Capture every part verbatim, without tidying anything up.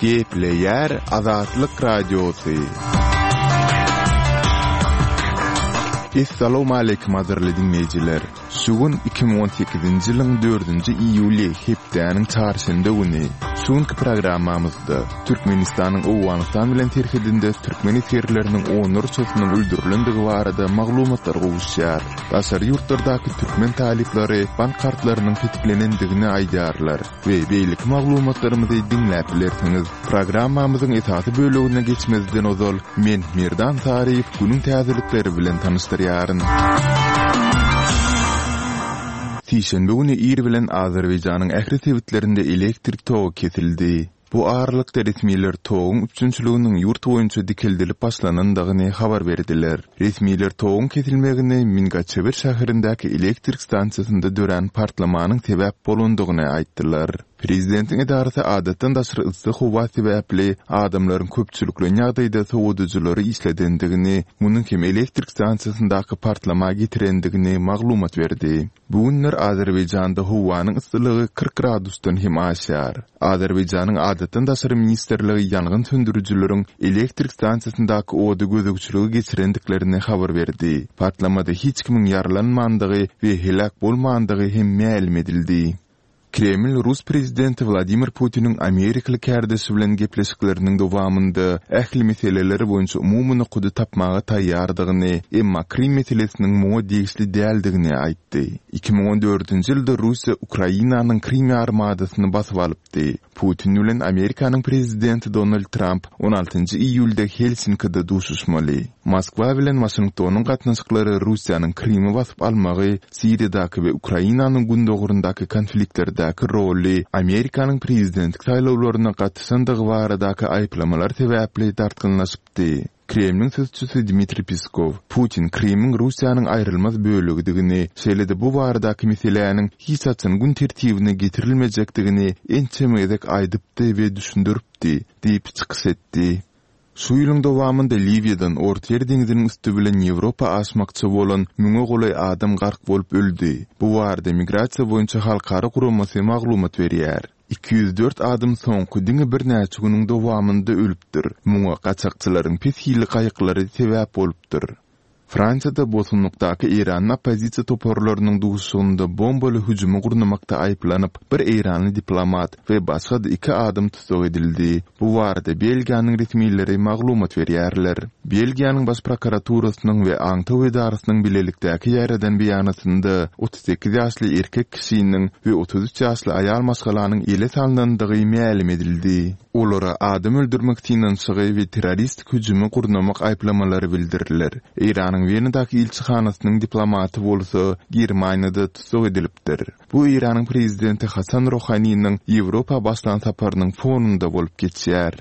Gepleýär Azatlyk Radiosy. Essalawmaleýkim gadyrly diňleýjiler! Şu gün iki müň on sekizinji ýylyň dördünji iýuly hepdäniň çarşenbe güni. Şu günki programmamyzda Türkmenistanyň Owganystan bilen serhedinde türkmen esgerleriniň onlarçasynyň öldürilendigi barada maglumatlar gowuşýar. Daşary ýurtlardaky türkmen talyplary bank kartlarynyň petiklenendigini aýdýarlar we beýleki maglumatlarymyzy diňläp bilersiňiz. Programmamyzyň esasy bölegine geçmezden ozal, men Merdan Saryýew günüň täzelikleri bilen tanyşdyrýaryn. Sişenbe güni ir bilen Azerbaýjanyň ähli sebitlerinde elektrik togy kesildi. Bu aralykda resmiler toguň üpjünçiliginiň ýurt boýunça dikeldilip başlanandygyny habar berdiler. Resmiler toguň kesilmegine Mingaçewir şäherindäki elektrik stansiýasynda dörän partlamanyň sebäp bolandygyny aýtdylar. Prezidentiň edarasy adatdan daşary yssy howa sebäpli adamlaryň köpçülikleýin ýagdaýda sowadyjylary işledendigini, munuň hem elektrik stansiýasyndaky partlama getirendigini maglumat berdi. Bu günler Azerbaýjanda howanyň yssylygy kyrk gradusdan hem aşýar. Azerbaýjanyň adatdan daşary ministrligi ýangyn söndürijileriň elektrik stansiýasyndaky ody gözegçiligi geçirendiklerini habar berdi. Partlamada hiç kimiň ýaralanmandygy we heläk bolmandygy hem mälim edildi. Kreml rus prezidenti Wladimir Putiniň amerikaly kärdeşi bilen gepleşikleriniň dowamynda ähli meseleler boýunça umumy nokady tapmaga taýýardygyny, emma Krym meselesiniň muňa degişli däldigini aýtdy. Iki müň on dördünji ýylda Russiýa Ukrainanyň Krym ýarymadasyny basyp alypdy. Putin bilen Amerikanyň prezidenti Donald Tramp on altynjy iýulda Helsinkide duşuşmaly. Moskwa bilen Waşingtonyň gatnaşyklary Russiýanyň Krymy basyp almagy, Siriýadaky we Ukrainanyň gündogaryndaky konfliktlerdäki roly, Amerikanyň prezidentlik saýlawlaryna gatyşandygy baradaky aýyplamalar sebäpli dartgynlaşypdy. Kremliň sözçüsi Dmitriý Peskow, Putin Krymyň Russiýanyň aýrylmaz bölegidigini, şeýle-de bu baradaky meseläniň hiç haçan gün tertibine getirilmejekdigini ençeme gezek aýdypdy we düşündiripdi, diýip çykyş etdi. Şu ýylyň dowamynda Liwiýadan Ortaýer deňziniň üsti bilen Ýewropa aşmakçy bolan müňe golaý adam gark bolup öldi. Bu barada Migrasiýa boýunça halkara guramasy maglumat berýär. Iki ýüz dört adam soňky diňe birnäçe günüň dowamynda ölüpdir. Muňa gaçakçylaryň pes hilli gaýyklary sebäp bolupdyr. Fransiýada bosgunlykdaky Eýranly oppozisiýa toparlarynyň duşuşygynda bombaly hüjümi gurnamakda aýyplanyp, bir eýranly diplomat we başga-da iki adam tussag edildi. Bu barada Belgiýanyň resmileri maglumat berýärler. Belgiýanyň baş prokuraturasynyň we aňtaw edarasynyň bilelikdäki ýaýradan beýanatynda otuz sekiz ýaşly erkek kişiniň we otuz üç ýaşly aýal maşgalanyň ele salnandygy mälim edildi. Olara adam öldürmek synanyşygy we terroristik hüjümi gurnamak aýyplamalary bildiriler. Eýranyň Wenadaky ilçihanasynyň diplomaty bolsa Germaniýada tussag edilipdir. Bu Eýranyň prezidenti Hasan Rohaniniň Ýewropa başlan saparynyň fonunda bolup geçýär.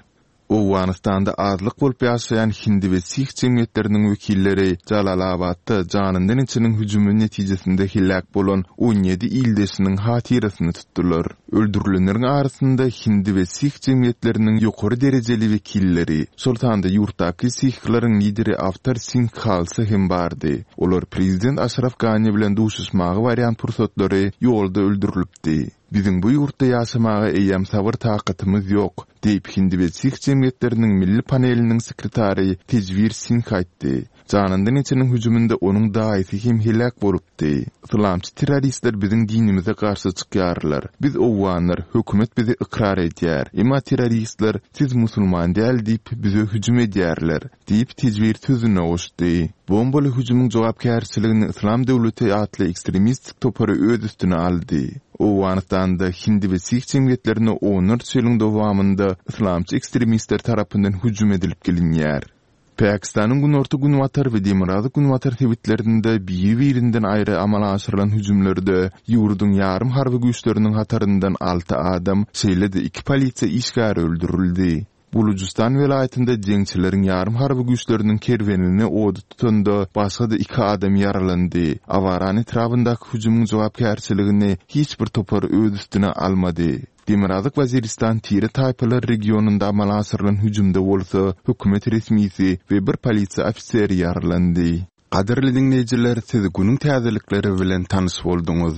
Owganystanda azlyk bolup ýaşaýan hindi we sih jemgyýetleriniň wekilleri Jalalabadda janyndan içiniň hüjümi netijesinde heläk bolan on ýedi ildeşiniň hatyrasyny tutdular. Öldürilenleriň arasynda hindi we sih jemgyýetleriniň ýokary derejeli wekilleri, şol sanda ýurtdaky sihleriň lideri Awtar Singh Khalsa hem bardy. Olar prezident Aşraf Gani bilen duşuşmaga barýan pursatlary ýolda öldürilipdi. Biziň bu ýurtda ýaşamaga eýýäm sabyr takatymyz ýok, diýip hindi we sih jemgyýetleriniň milli paneliniň sekretary Tejwir Singh aýtdy. Janyndan içiniň hüjüminde onuň daýysy hem heläk bolupdy. Yslamçy terroristler biziň dinimize garşy çykýarlar. Biz owganlar, hökümet bizi ykrar edýär. Emma terroristler siz musulman däl diýip bize hüjüm edýärler, diýip Tejwir sözüne goşdy. Bombaly hüjümiň jogapkärçiligini Yslam döwleti atly ekstremistik topary öz üstüne aldy. Owganystanda hindi we sih jemgyýetlerine onlarça ýylyň dowamynda yslamçy ekstremistler tarapyndan hüjüm edilip gelinýär. Pakistanyň günorta-günbatar we demirgazyk-günbatar sebitlerinde biri-birinden aýry amala aşyrylan hüjümlerde ýurduň ýarym harby güýçleriniň hataryndan alty adam, şeýle-de iki polisiýa işgäri öldürildi. Bulujystan welaýatynda jeňçileriň ýarym harby güýçleriniň kerwenini ody tutanda başga-da iki adam ýaralandy. Awaran etrabyndaky hüjümiň jogapkärçiligini hiç bir topar öz üstüne almady. Demirgazyk Waziristan tire taýpalar regionynda amala aşyrylan hüjümde bolsa hökümet resmisi we bir polisiýa ofiseri ýaralandy. Gadyrly diňleýjiler, siz günüň täzelikleri bilen tanyş bolduňyz.